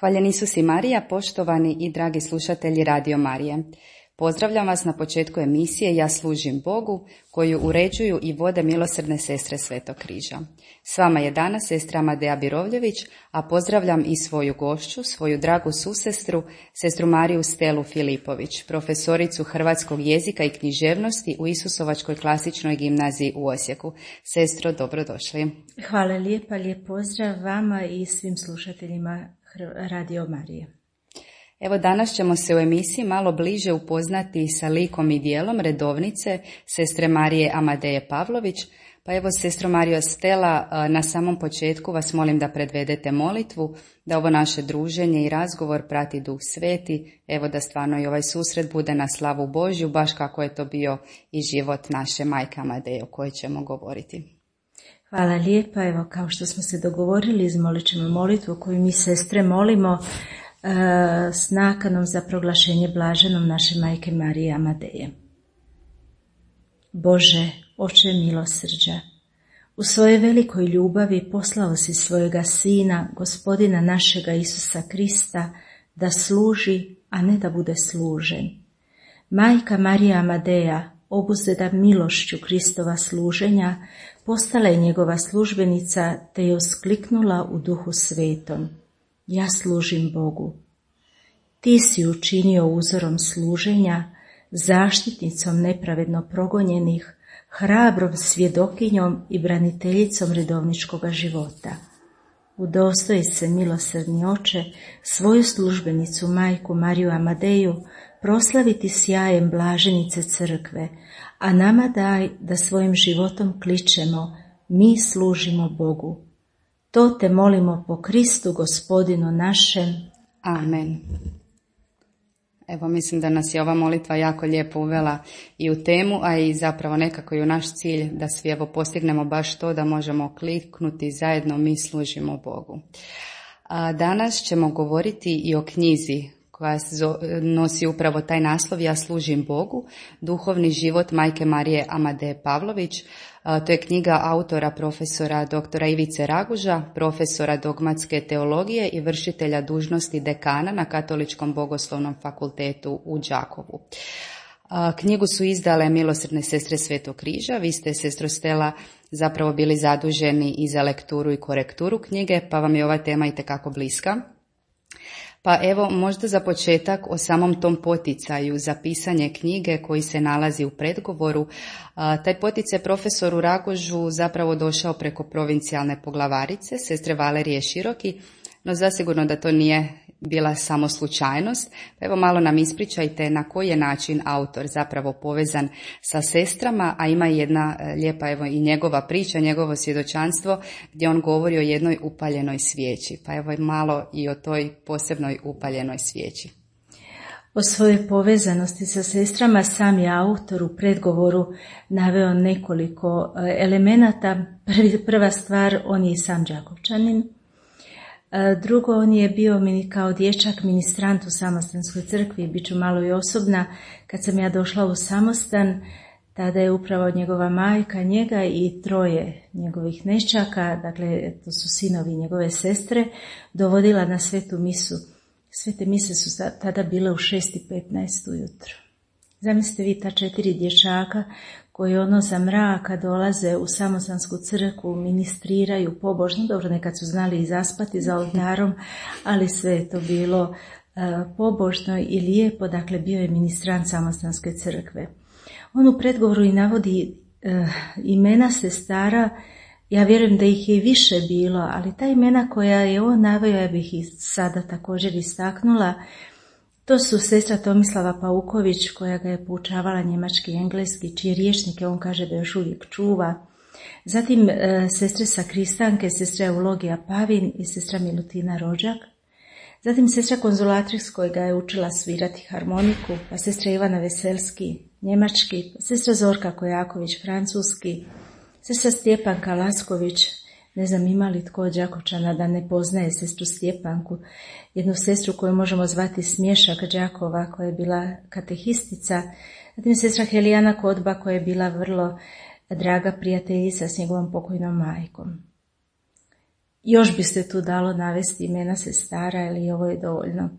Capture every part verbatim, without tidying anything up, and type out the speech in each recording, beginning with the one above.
Hvaljen Isus i Marija, poštovani i dragi slušatelji Radio Marije. Pozdravljam vas na početku emisije Ja služim Bogu, koju uređuju i vode milosrdne sestre Svetog križa. S vama je danas sestra Amadeja Birovljević, a pozdravljam i svoju gošću, svoju dragu susestru, sestru Mariju Stelu Filipović, profesoricu hrvatskog jezika i književnosti u Isusovačkoj klasičnoj gimnaziji u Osijeku. Sestro, dobrodošli. Hvala lijepa, lijep pozdrav vama i svim slušateljima Radio Marije. Evo, danas ćemo se u emisiji malo bliže upoznati sa likom i dijelom redovnice sestre Marije Amadeje Pavlović. Pa evo, sestro Marijo Stela, na samom početku vas molim da predvedete molitvu, da ovo naše druženje i razgovor prati Duh Sveti, evo da stvarno i ovaj susret bude na slavu Božju, baš kako je to bio i život naše majke Amadeje o kojoj ćemo govoriti. Hvala lijepa, evo kao što smo se dogovorili, izmolit ćemo molitvu koju mi sestre molimo s nakanom za proglašenje blaženom naše majke Marije Amadeje. Bože, Oče milosrđa, u svojoj velikoj ljubavi poslao si svojega Sina, Gospodina našega Isusa Krista, da služi, a ne da bude služen. Majka Marija Amadeja, obuzeta milošću Kristova služenja, postala je njegova službenica te je uskliknula u Duhu Svetom. Ja služim Bogu. Ti si učinio uzorom služenja, zaštitnicom nepravedno progonjenih, hrabrom svjedokinjom i braniteljicom redovničkoga života. Udostoji se, milosrdni Oče, svoju službenicu majku Mariju Amadeju proslaviti sjajem blaženice crkve, a nama daj da svojim životom kličemo, mi služimo Bogu. To te molimo po Kristu Gospodinu našem. Amen. Evo, mislim da nas je ova molitva jako lijepo uvela i u temu, a i zapravo nekako i u naš cilj da svi evo postignemo baš to da možemo kliknuti zajedno mi služimo Bogu. A danas ćemo govoriti i o knjizi koja nosi upravo taj naslov Ja služim Bogu, duhovni život majke Marije Amadeje Pavlović. To je knjiga autora profesora doktora Ivice Raguža, profesora dogmatske teologije i vršitelja dužnosti dekana na Katoličkom bogoslovnom fakultetu u Đakovu. Knjigu su izdale milosrdne sestre Svetog križa. Vi ste, sestro Stela, zapravo bili zaduženi i za lekturu i korekturu knjige, pa vam je ova tema itekako bliska. Pa evo, možda za početak o samom tom poticaju za pisanje knjige koji se nalazi u predgovoru. Taj poticaj profesoru Ragužu zapravo došao preko provincijalne poglavarice, sestre Valerije Široki, no zasigurno da to nije bila samo slučajnost. Pa evo, malo nam ispričajte na koji je način autor zapravo povezan sa sestrama, a ima jedna lijepa evo i njegova priča, njegovo svjedočanstvo gdje on govori o jednoj upaljenoj svijeći. Pa evo malo i o toj posebnoj upaljenoj svijeći. O svojoj povezanosti sa sestrama sam je autor u predgovoru naveo nekoliko elemenata. Prva stvar, on je i sam Đakovčanin. Drugo, on je bio kao dječak ministrant u Samostanskoj crkvi, bit ću malo i osobna. Kad sam ja došla u Samostan, tada je upravo njegova majka, njega i troje njegovih neščaka, dakle to su sinovi njegove sestre, dovodila na svetu misu. Svete mise su tada bile u šest i petnaest ujutro. Zamislite vi ta četiri dječaka koji ono za mraka dolaze u Samostansku crkvu, ministriraju pobožno, dobro nekad su znali i zaspati za oltarom, ali sve je to bilo uh, pobožno i lijepo, dakle bio je ministrant Samostanske crkve. On u predgovoru i navodi uh, imena sestara, ja vjerujem da ih je više bilo, ali ta imena koja je on naveo, ja bih ih sada također istaknula. To su sestra Tomislava Pauković, koja ga je poučavala njemački i engleski, čije rječnike on kaže da još uvijek čuva. Zatim e, sestre sakristanke, sestra Eulogija Pavin i sestra Milutina Rođak. Zatim sestra Konzulatrix, koja ga je učila svirati harmoniku, pa sestra Ivana Veselski, njemački, pa sestra Zorka Kojaković, francuski, sestra Stjepanka Lasković. Ne znam ima li tko od Đakovčana da ne poznaje sestru Stjepanku, jednu sestru koju možemo zvati Smješak Đakova, koja je bila katehistica. Zatim sestra Helijana Kodba, koja je bila vrlo draga prijateljica s njegovom pokojnom majkom. još biste tu dalo navesti imena sestara ili ovo je dovoljno.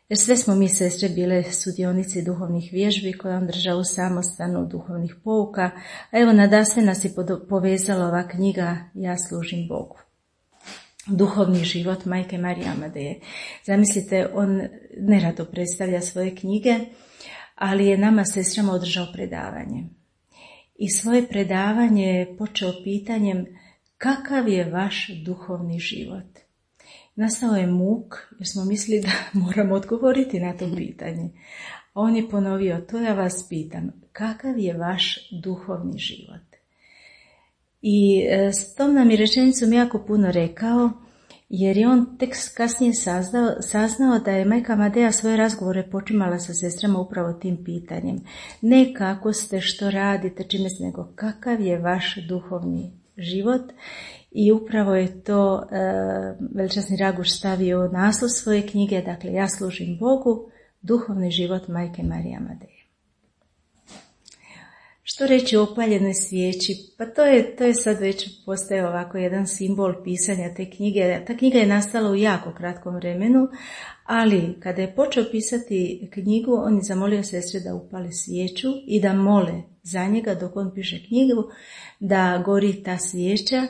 Jer sve smo mi sestre bile sudionici duhovnih vježbi koje on držao u samostanu duhovnih pouka, a evo nadasve nas je povezala ova knjiga Ja služim Bogu. Duhovni život majke Marije Amadeje. Zamislite, on nerado predstavlja svoje knjige, ali je nama sestrama održao predavanje. I svoje predavanje je počeo pitanjem kakav je vaš duhovni život. Nastao je muk jer smo mislili da moramo odgovoriti na to pitanje. A on je ponovio, to ja vas pitam, kakav je vaš duhovni život? I s tom nam je rečenicom jako puno rekao, jer je on tek kasnije saznao, saznao da je majka Amadeja svoje razgovore počimala sa sestrama upravo tim pitanjem. Ne kako ste, što radite, čime ste, nego kakav je vaš duhovni život. I upravo je to e, veličasni Raguš stavio u naslov svoje knjige, dakle Ja služim Bogu, duhovni život majke Marije Amadeje. Što reći o opaljenoj svijeći? Pa to je, to je sad već postaje ovako jedan simbol pisanja te knjige. Ta knjiga je nastala u jako kratkom vremenu, ali kada je počeo pisati knjigu, on je zamolio sestre da upale svijeću i da mole za njega dok on piše knjigu, da gori ta svijeća.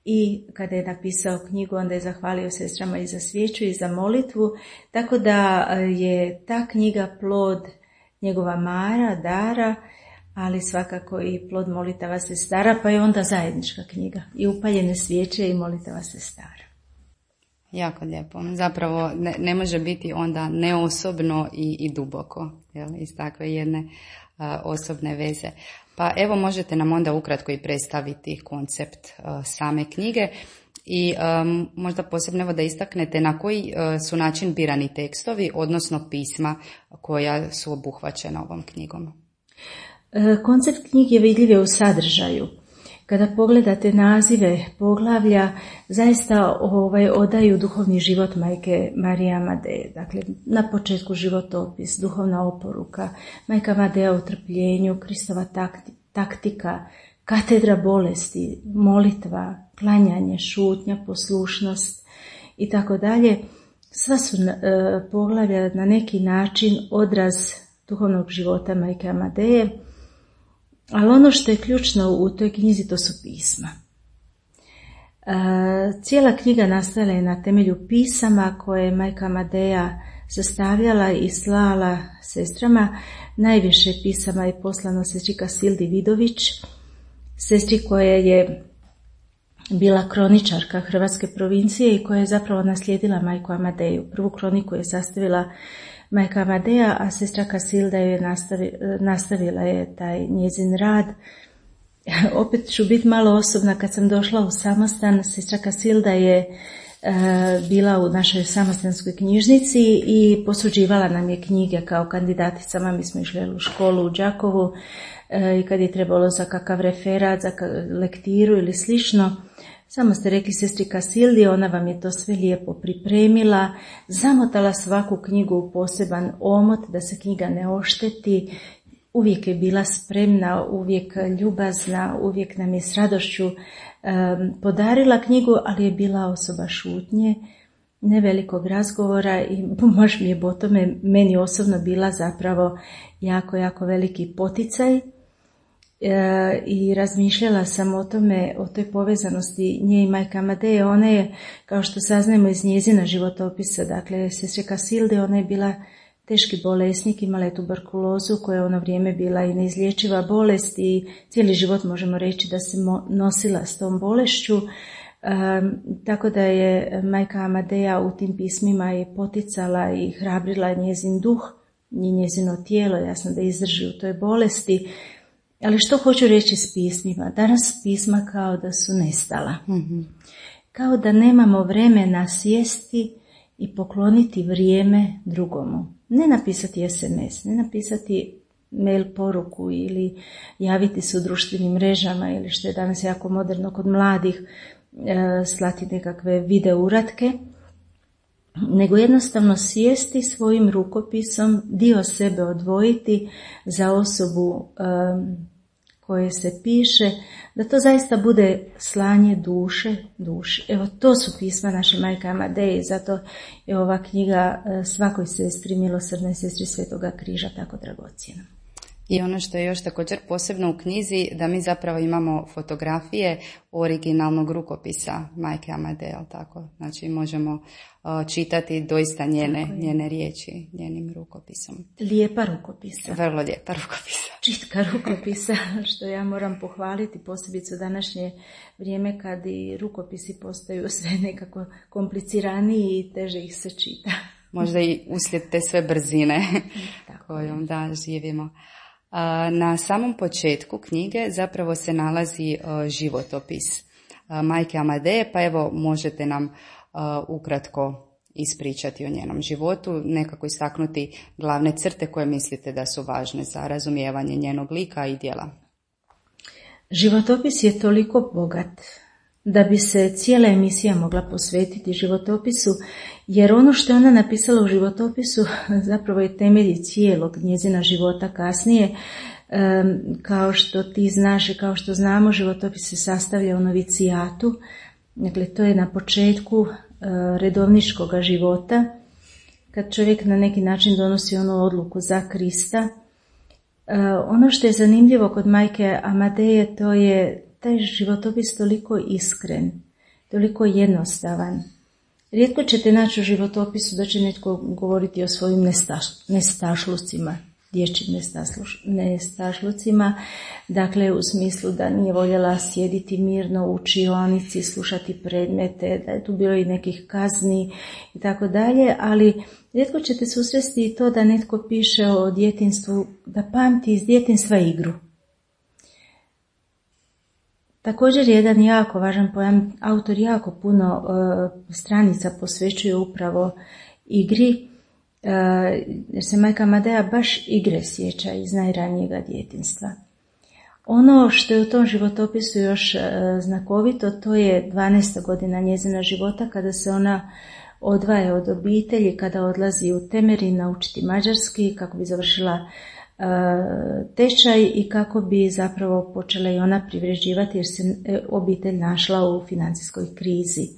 I kada je napisao knjigu, onda je zahvalio sestrama i za svijeću i za molitvu, tako da je ta knjiga plod njegova mara, dara, ali svakako i plod molitava sestara, pa je onda zajednička knjiga. I upaljene svijeće i molitava sestara. Jako lijepo. Zapravo ne, ne može biti onda neosobno i, i duboko, jel, iz takve jedne a, osobne veze. Pa evo možete nam onda ukratko i predstaviti koncept a, same knjige i um, možda posebno evo da istaknete na koji a, su način birani tekstovi, odnosno pisma koja su obuhvaćena ovom knjigom. Koncept knjige vidljiv je u sadržaju. Kada pogledate nazive poglavlja, zaista ovaj, odaju duhovni život majke Marije Amadeje. Dakle, na početku životopis, duhovna oporuka, majka Amadeja u trpljenju, Kristova taktika, katedra bolesti, molitva, klanjanje, šutnja, poslušnost i tako dalje. Sva su e, poglavlja na neki način odraz duhovnog života majke Amadeje. Ali ono što je ključno u toj knjizi, to su pisma. E, cijela knjiga nastala je na temelju pisama koje je majka Amadeja sastavljala i slala sestrama. Najviše pisama je poslano sestri Kasildi Vidović, sestri koja je bila kroničarka Hrvatske provincije i koja je zapravo naslijedila majku Amadeju. Prvu kroniku je sastavila majka Amadeja, a sestra Kasilda je nastavi, nastavila je taj njezin rad. Opet ću biti malo osobna, kad sam došla u samostan, sestra Kasilda je e, bila u našoj samostanskoj knjižnici i posuđivala nam je knjige kao kandidaticama. Mi smo išli u školu u Đakovu e, i kad je trebalo za kakav referat, za lektiru ili slično, samo ste rekli sestri Kasildi, ona vam je to sve lijepo pripremila, zamotala svaku knjigu u poseban omot da se knjiga ne ošteti, uvijek je bila spremna, uvijek ljubazna, uvijek nam je s radošću um, podarila knjigu, ali je bila osoba šutnje, nevelikog razgovora i baš mi je po tome meni osobno bila zapravo jako, jako veliki poticaj. E, i razmišljala sam o tome, o toj povezanosti nje i majke Amadeje. Ona je, kao što saznajemo iz njezina životopisa, dakle, sestre Kasilde, ona je bila teški bolesnik, imala je tuberkulozu koja je ono vrijeme bila i neizlječiva bolest i cijeli život možemo reći da se nosila s tom bolešću. E, tako da je majka Amadeja u tim pismima i poticala i hrabrila njezin duh i njezino tijelo, jasno da izdrži u toj bolesti. Ali što hoću reći s pismima? Danas pisma kao da su nestala. Mm-hmm. Kao da nemamo vremena sjesti i pokloniti vrijeme drugomu. Ne napisati es em es, ne napisati mail poruku ili javiti se u društvenim mrežama ili što je danas jako moderno kod mladih, e, slati nekakve video uratke, nego jednostavno sjesti svojim rukopisom, dio sebe odvojiti za osobu e, koje se piše, da to zaista bude slanje duše, duši. Evo, to su pisma naše majke Amadeje i zato je ova knjiga svakoj sestri, milosrdnoj sestri Svetoga križa, tako dragocjena. I ono što je još također posebno u knjizi, da mi zapravo imamo fotografije originalnog rukopisa majke Amadeje, tako? Znači možemo uh, čitati doista njene, njene riječi, njenim rukopisom. Lijepa rukopisa. Vrlo lijepa rukopisa. Čitka rukopisa, što ja moram pohvaliti, posebice u današnje vrijeme kad i rukopisi postaju sve nekako kompliciraniji i teže ih se čita. Možda i uslijed te sve brzine kojom da živimo. Na samom početku knjige zapravo se nalazi životopis majke Amadeje, pa evo možete nam ukratko ispričati o njenom životu, nekako istaknuti glavne crte koje mislite da su važne za razumijevanje njenog lika i djela. Životopis je toliko bogat da bi se cijela emisija mogla posvetiti životopisu, jer ono što je ona napisala u životopisu zapravo je temelj cijelog njezina života kasnije. Kao što ti znaš i kao što znamo, životopis se sastavlja u novicijatu, dakle to je na početku redovničkog života, kad čovjek na neki način donosi onu odluku za Krista. Ono što je zanimljivo kod majke Amadeje, to je taj životopis toliko iskren, toliko jednostavan. Rijetko ćete naći u životopisu da će netko govoriti o svojim nestaš, nestašlucima, dječjim nestašlucima, dakle u smislu da nije voljela sjediti mirno u učionici, slušati predmete, da je tu bilo i nekih kazni i tako dalje, ali rijetko ćete susresti i to da netko piše o djetinjstvu, da pamti iz djetinjstva igru. Također jedan jako važan pojam, autor jako puno uh, stranica posvećuje upravo igri, uh, jer se majka Amadeja baš igre sjeća iz najranijega djetinjstva. Ono što je u tom životopisu još uh, znakovito, to je dvanaesta godina njezina života, kada se ona odvaja od obitelji, kada odlazi u Temerin naučiti mađarski kako bi završila tečaj i kako bi zapravo počela i ona privređivati, jer se obitelj našla u financijskoj krizi.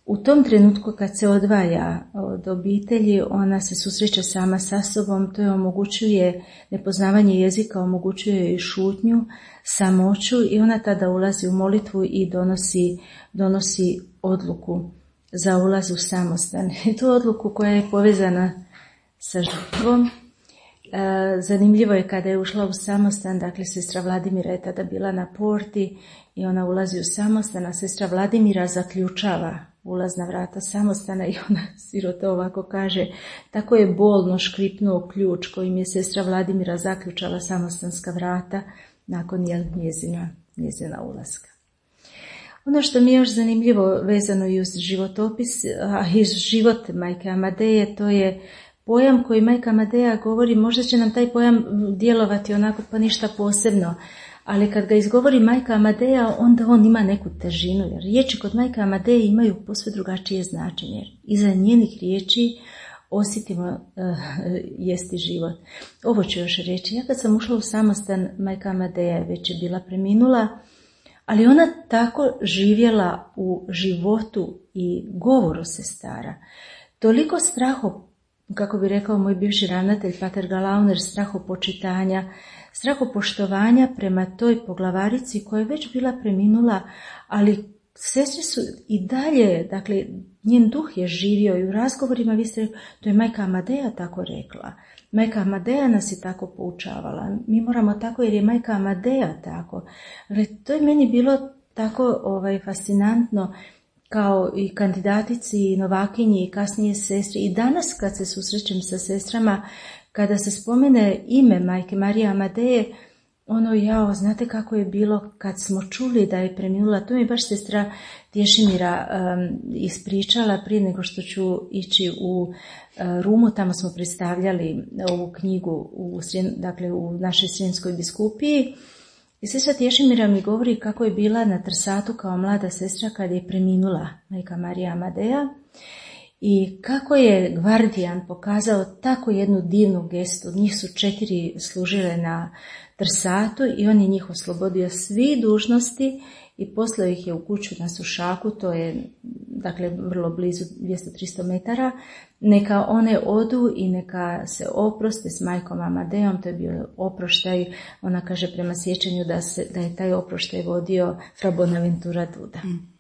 U tom trenutku kad se odvaja od obitelji, ona se susreće sama sa sobom, to je omogućuje nepoznavanje jezika, omogućuje i šutnju, samoću i ona tada ulazi u molitvu i donosi, donosi odluku za ulaz u samostan. I tu odluku koja je povezana sa žrtvom. Zanimljivo je kada je ušla u samostan, dakle sestra Vladimira je tada bila na porti i ona ulazi u samostan, a sestra Vladimira zaključava ulazna vrata samostana i ona sirota ovako kaže, tako je bolno škripnuo ključ kojim je sestra Vladimira zaključala samostanska vrata nakon jel, njezina, njezina ulaska. Ono što mi je još zanimljivo vezano i uz životopis, a i život majke Amadeje, to je pojam koji majka Amadeja govori, možda će nam taj pojam djelovati onako pa ništa posebno, ali kad ga izgovori majka Amadeja, onda on ima neku težinu, jer riječi kod majke Amadeje imaju posve drugačije značenje. Iza njenih riječi osjetimo uh, jesti život. Ovo ću još reći. Ja kad sam ušla u samostan, majka Amadeja već je bila preminula, ali ona tako živjela u životu i govoru sestara. Toliko straho, kako bi rekao moj bivši ravnatelj Pater Galauner, strahopočitanja, strahopoštovanja prema toj poglavarici koja je već bila preminula, ali sestre su i dalje, dakle, njen duh je živio i u razgovorima, vi ste rekli, to je majka Amadeja tako rekla. Majka Amadeja nas je tako poučavala. Mi moramo tako jer je majka Amadeja tako. Ali to je meni bilo tako ovaj, fascinantno, kao i kandidatici, i novakinji, i kasnije sestri. I danas kad se susrećem sa sestrama, kada se spomene ime majke Marije Amadeje, ono, jao, znate kako je bilo kad smo čuli da je preminula. To mi je baš sestra Tješimira um, ispričala prije nego što ću ići u uh, Rumu. Tamo smo predstavljali ovu knjigu u, dakle, u našoj Srijemskoj biskupiji. I sestra Tješimira mi govori kako je bila na Trsatu kao mlada sestra kad je preminula majka Marija Amadeja. I kako je Gvardijan pokazao tako jednu divnu gestu, njih su četiri služile na trsatu i on je njih oslobodio svi dužnosti i poslao ih je u kuću na Sušaku, to je dakle vrlo blizu dvjesto do tristo metara, neka one odu i neka se oproste s majkom Amadejom, to je bio oproštaj, ona kaže prema sjećanju da, se, da je taj oproštaj vodio Fra Bonaventura Duda. Mm.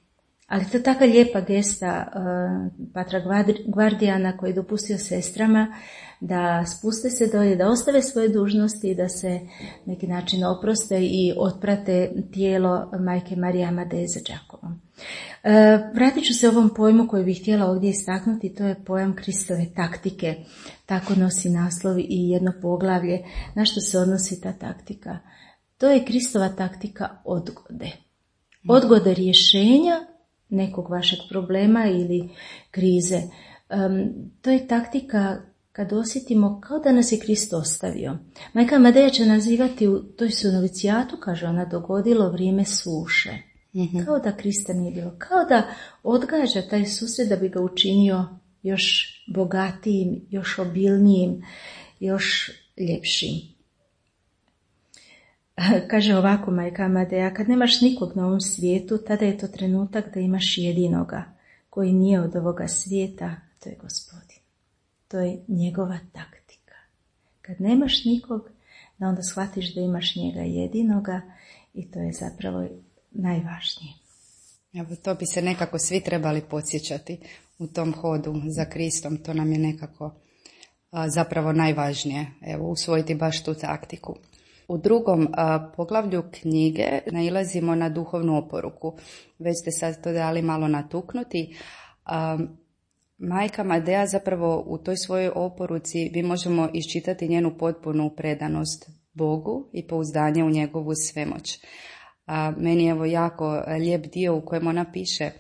Ali to je taka lijepa gesta uh, patra Gvardijana koji je dopustio sestrama da spuste se dolje, da ostave svoje dužnosti i da se neki način oproste i otprate tijelo majke Marije Amadeje za Đakovom. Uh, vratit ću se ovom pojmu koji bih htjela ovdje istaknuti, to je pojam Kristove taktike. Tako nosi naslov i jedno poglavlje. Na što se odnosi ta taktika? To je Kristova taktika odgode. Odgode rješenja nekog vašeg problema ili krize. Um, to je taktika kad osjetimo kao da nas je Krist ostavio. Majka Amadeja će nazivati u toj su novicijatu, kaže ona, dogodilo vrijeme suše. Mm-hmm. Kao da Krista nije bilo. Kao da odgađa taj susret da bi ga učinio još bogatijim, još obilnijim, još ljepšim. Kaže ovako majka Amadeja, kad nemaš nikog na ovom svijetu, tada je to trenutak da imaš jedinoga, koji nije od ovoga svijeta, to je Gospodin. To je njegova taktika. Kad nemaš nikog, da onda shvatiš da imaš njega jedinoga i to je zapravo najvažnije. Evo, to bi se nekako svi trebali podsjećati u tom hodu za Kristom, to nam je nekako a, zapravo najvažnije, evo, usvojiti baš tu taktiku. U drugom a, poglavlju knjige nailazimo na duhovnu oporuku. Već ste sad to dali malo natuknuti. A, majka Amadeja zapravo u toj svojoj oporuci mi možemo iščitati njenu potpunu predanost Bogu i pouzdanje u njegovu svemoć. A, meni je evo jako lijep dio u kojem ona piše,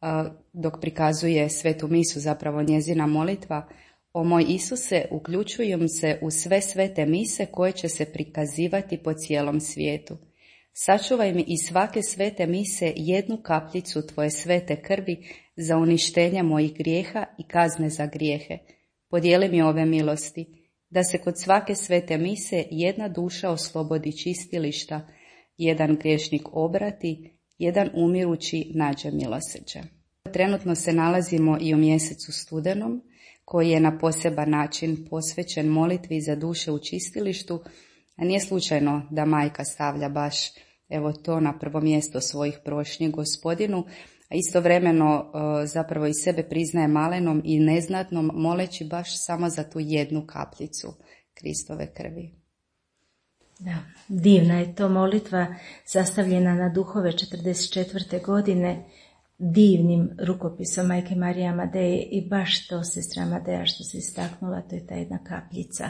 a, dok prikazuje svetu misu, zapravo njezina molitva: O moj Isuse, uključujem se u sve svete mise koje će se prikazivati po cijelom svijetu. Sačuvaj mi iz svake svete mise jednu kapljicu tvoje svete krvi za uništenje mojih grijeha i kazne za grijehe. Podijeli mi ove milosti, da se kod svake svete mise jedna duša oslobodi čistilišta, jedan griješnik obrati, jedan umirući nađe milosrđe. Trenutno se nalazimo i u mjesecu studenom, koji je na poseban način posvećen molitvi za duše u čistilištu, a nije slučajno da majka stavlja baš evo to na prvo mjesto svojih prošnji Gospodinu, a istovremeno zapravo i sebe priznaje malenom i neznatnom, moleći baš samo za tu jednu kapljicu Kristove krvi. Da, divna je to molitva sastavljena na duhove četrdeset četvrte godine, divnim rukopisom majke Marije Amadeje i baš to sestra Amadeja što se istaknula, to je ta jedna kapljica.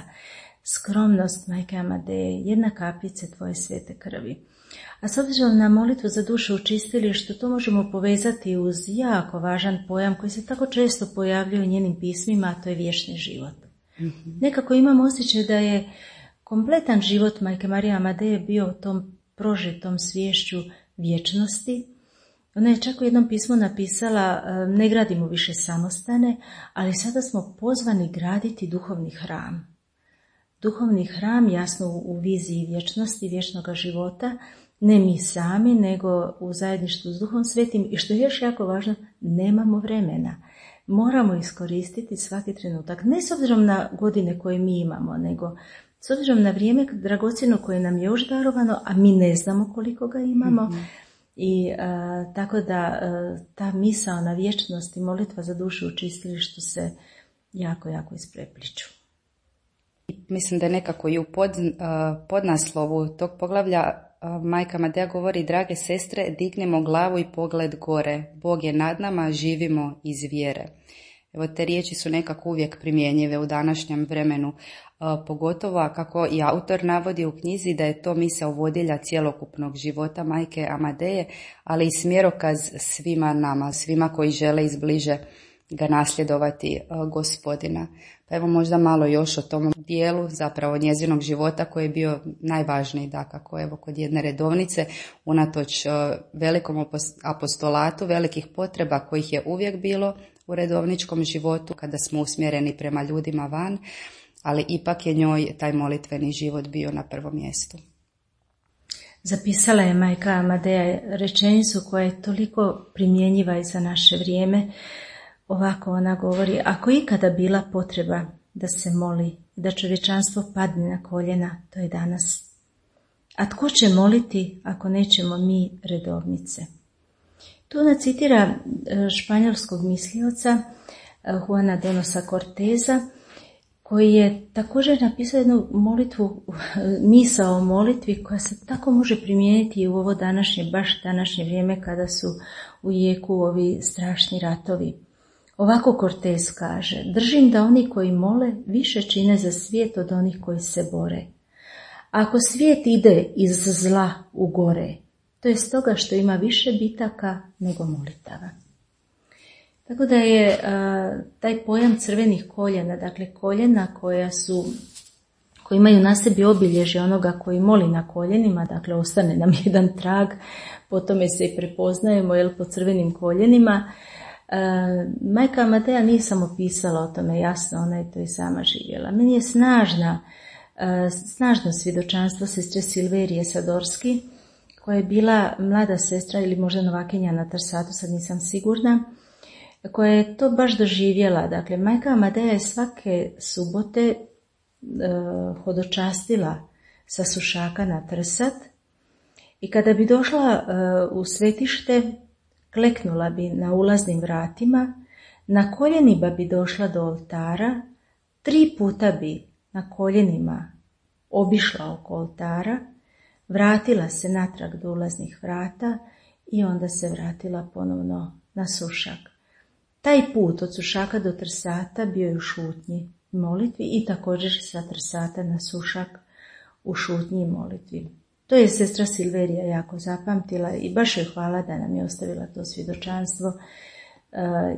Skromnost majke Amadeje, jedna kapljica tvoje svete krvi. A s obzirom na molitvu za dušu u čistilištu, to možemo povezati uz jako važan pojam koji se tako često pojavljuje u njenim pismima, a to je vječni život. Mm-hmm. Nekako imam osjećaj da je kompletan život majke Marije Amadeje bio u tom prožitom sviješću vječnosti. Ona je čak u jednom pismu napisala: ne gradimo više samostane, ali sada smo pozvani graditi duhovni hram. Duhovni hram, jasno u viziji vječnosti, vječnog života, ne mi sami, nego u zajedništvu s Duhom Svetim i što je još jako važno, nemamo vremena. Moramo iskoristiti svaki trenutak, ne s obzirom na godine koje mi imamo, nego s obzirom na vrijeme dragocjeno koje nam je još darovano, a mi ne znamo koliko ga imamo. Mm-hmm. I a, tako da a, ta misao na vječnost i molitva za dušu u čistilištu se jako, jako isprepliču. Mislim da je nekako i u pod, a, podnaslovu tog poglavlja a, majka Amadeja govori: drage sestre, dignemo glavu i pogled gore. Bog je nad nama, živimo iz vjere. Evo, te riječi su nekako uvijek primjenjive u današnjem vremenu, a, pogotovo kako i autor navodi u knjizi da je to misao vodilja cjelokupnog života majke Amadeje, ali i smjerokaz svima nama, svima koji žele izbliže ga nasljedovati Gospodina. Pa evo možda malo još o tom dijelu zapravo njezinog života koji je bio najvažniji, dakako evo kod jedne redovnice, unatoč velikom apostolatu, velikih potreba kojih je uvijek bilo u redovničkom životu kada smo usmjereni prema ljudima van, ali ipak je njoj taj molitveni život bio na prvom mjestu. Zapisala je majka Amadeja rečenicu koja je toliko primjenjiva i za naše vrijeme. Ovako ona govori: ako ikada bila potreba da se moli, da čovječanstvo padne na koljena, to je danas. A tko će moliti ako nećemo mi redovnice? Tu ona citira španjolskog mislioca Juana Donosa Corteza, koji je također napisao jednu molitvu, misao o molitvi koja se tako može primijeniti i u ovo današnje, baš današnje vrijeme kada su u jeku ovi strašni ratovi. Ovako Cortez kaže: držim da oni koji mole više čine za svijet od onih koji se bore. Ako svijet ide iz zla u gore, to je stoga što ima više bitaka nego molitava. Tako da je a, taj pojam crvenih koljena, dakle koljena koja su, koji imaju na sebi obilježje onoga koji moli na koljenima, dakle ostane nam jedan trag, po tome se i prepoznajemo, jel, po crvenim koljenima. A, majka Amadea nije samo pisala o tome, jasno, ona je to i sama živjela. Meni je snažna, a, snažno svjedočanstvo sestre Silverije Sadorski, koja je bila mlada sestra ili možda novakinja na Trsatu, sad nisam sigurna, koja je to baš doživjela. Dakle, majka Amadea je svake subote e, hodočastila sa Sušaka na Trsat i kada bi došla e, u svetište, kleknula bi na ulaznim vratima, na koljenima bi došla do oltara, tri puta bi na koljenima obišla oko oltara, vratila se natrag do ulaznih vrata i onda se vratila ponovno na Sušak. Taj put od Sušaka do Trsata bio je u šutnji i molitvi i također sa Trsata na Sušak u šutnji i molitvi. To je sestra Silverija jako zapamtila i baš joj hvala da nam je ostavila to svjedočanstvo,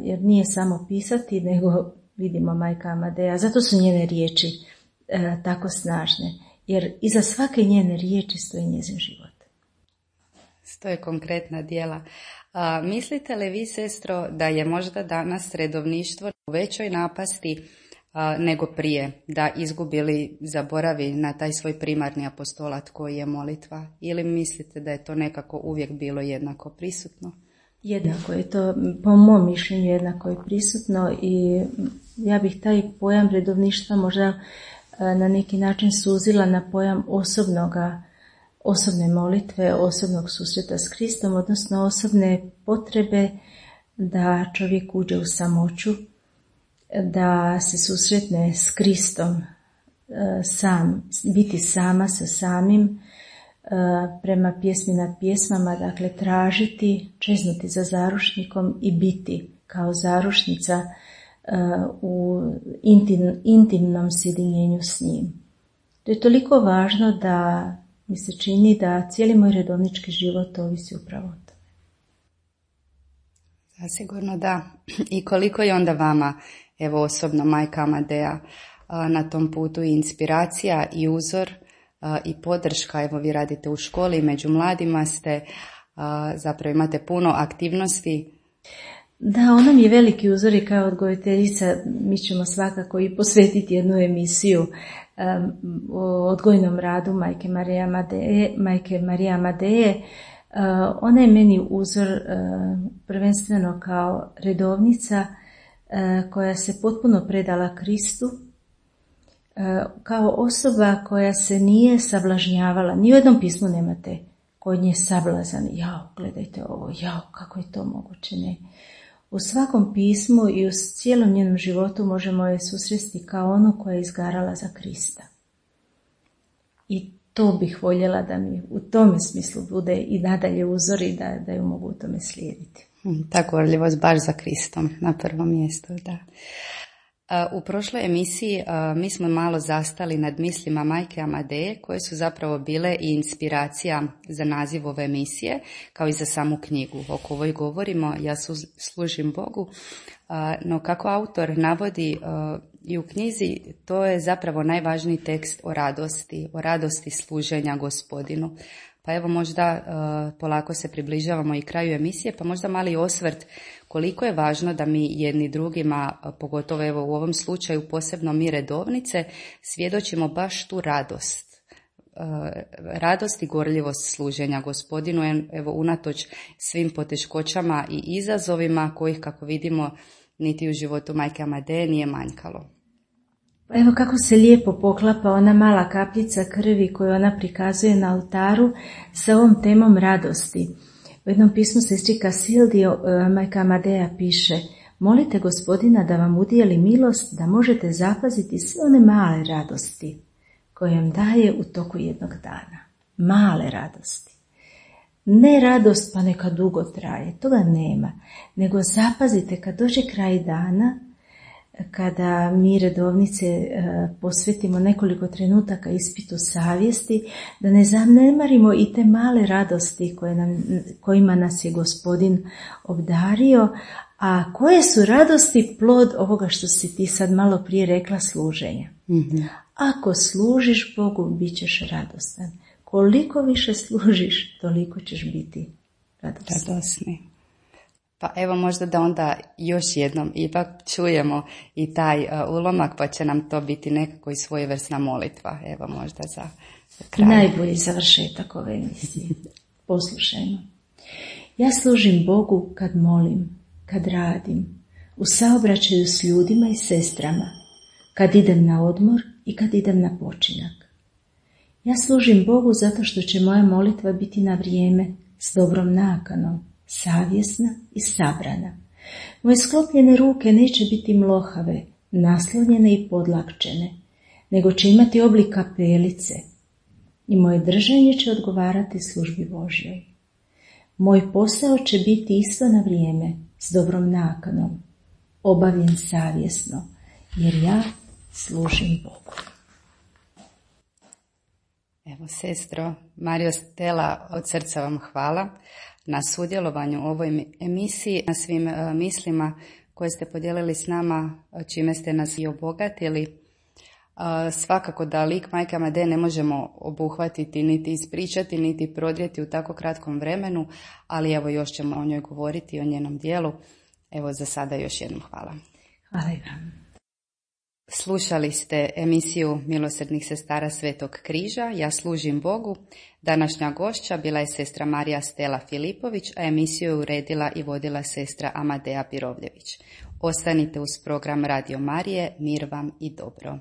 jer nije samo pisati, nego vidimo majka Amadea. Zato su njene riječi tako snažne, jer iza svake njene riječi stoji njezin život. Stoje konkretna djela. A, mislite li vi, sestro, da je možda danas redovništvo u većoj napasti a, nego prije, da izgubili, zaboravi na taj svoj primarni apostolat koji je molitva? Ili mislite da je to nekako uvijek bilo jednako prisutno? Jednako je to, po mom mišljenju, jednako je prisutno i ja bih taj pojam redovništva možda na neki način suzila na pojam osobnoga, osobne molitve, osobnog susreta s Kristom, odnosno osobne potrebe da čovjek uđe u samoću, da se susretne s Kristom, sam, biti sama sa samim, prema pjesmi nad pjesmama, dakle tražiti, čeznuti za zarušnikom i biti kao zarušnica u intim, intimnom sjedinjenju s njim. To je toliko važno da mi se čini da cijeli moj redovnički život ovisi upravo o tome. Zasigurno da. I koliko je onda vama, evo osobno majka Amadea, na tom putu i inspiracija i uzor i podrška, evo vi radite u školi i među mladima ste, zapravo imate puno aktivnosti. Da, ona mi je veliki uzor i kao odgojiteljica mi ćemo svakako i posvetiti jednu emisiju um, o odgojnom radu majke Marije Amadeje. Majke Marije Amadeje. Uh, ona je meni uzor uh, prvenstveno kao redovnica uh, koja se potpuno predala Kristu, uh, kao osoba koja se nije sablažnjavala. Ni u jednom pismu nemate kod nje sablazan. Jao, gledajte ovo, jao, kako je to moguće, ne. U svakom pismu i u cijelom njenom životu možemo je susresti kao onu koja je izgarala za Krista. I to bih voljela da mi u tome smislu bude i nadalje uzor i da, da ju mogu u tome slijediti. Ta gorljivost baš za Kristom na prvom mjestu, da. U prošloj emisiji mi smo malo zastali nad mislima majke Amadeje, koje su zapravo bile i inspiracija za naziv ove emisije, kao i za samu knjigu. O kojoj govorimo, Ja služim Bogu, no kako autor navodi i u knjizi, to je zapravo najvažniji tekst o radosti, o radosti služenja Gospodinu. Pa evo možda uh, polako se približavamo i kraju emisije, pa možda mali osvrt koliko je važno da mi jedni drugima, pogotovo evo u ovom slučaju posebno mi redovnice, svjedočimo baš tu radost. Uh, radost i gorljivost služenja Gospodinu, evo unatoč svim poteškoćama i izazovima kojih, kako vidimo, niti u životu majke Amadeje nije manjkalo. Evo kako se lijepo poklapa ona mala kapljica krvi koju ona prikazuje na oltaru sa ovom temom radosti. U jednom pismu sestri Kasildio majka Amadeja piše: molite Gospodina da vam udijeli milost da možete zapaziti sve one male radosti koje vam daje u toku jednog dana. Male radosti. Ne radost pa neka dugo traje, toga nema, nego zapazite kad dođe kraj dana, kada mi redovnice posvetimo nekoliko trenutaka ispitu savjesti, da ne zanemarimo i te male radosti koje nam, kojima nas je Gospodin obdario, a koje su radosti plod ovoga što si ti sad malo prije rekla, služenja. Mm-hmm. Ako služiš Bogu, bit ćeš radostan. Koliko više služiš, toliko ćeš biti radostan. Radosni. Pa evo možda da onda još jednom ipak čujemo i taj uh, ulomak, pa će nam to biti nekako i svojevrsna molitva. Evo možda za kraj. Najbolji završetak ove emisije. Poslušajmo. Ja služim Bogu kad molim, kad radim, u saobraćaju s ljudima i sestrama, kad idem na odmor i kad idem na počinak. Ja služim Bogu zato što će moja molitva biti na vrijeme, s dobrom nakanom, savjesna i sabrana. Moje sklopljene ruke neće biti mlohave, naslonjene i podlakčene, nego će imati oblik kapelice i moje držanje će odgovarati službi Božjoj. Moj posao će biti isto na vrijeme, s dobrom nakanom, obavljen savjesno, jer ja služim Bogu. Evo, sestro Marijo Stela, od srca vam hvala na sudjelovanju u ovoj emisiji, na svim uh, mislima koje ste podijelili s nama, čime ste nas i obogatili. Uh, svakako da lik majke Amadeje ne možemo obuhvatiti, niti ispričati, niti prodrijeti u tako kratkom vremenu, ali evo još ćemo o njoj govoriti, o njenom dijelu. Evo za sada još jednom hvala. Hvala i vam. Slušali ste emisiju Milosrdnih sestara Svetog križa, Ja služim Bogu. Današnja gošća bila je sestra Marija Stela Filipović, a emisiju je uredila i vodila sestra Amadeja Pirovljević. Ostanite uz program Radio Marije, mir vam i dobro.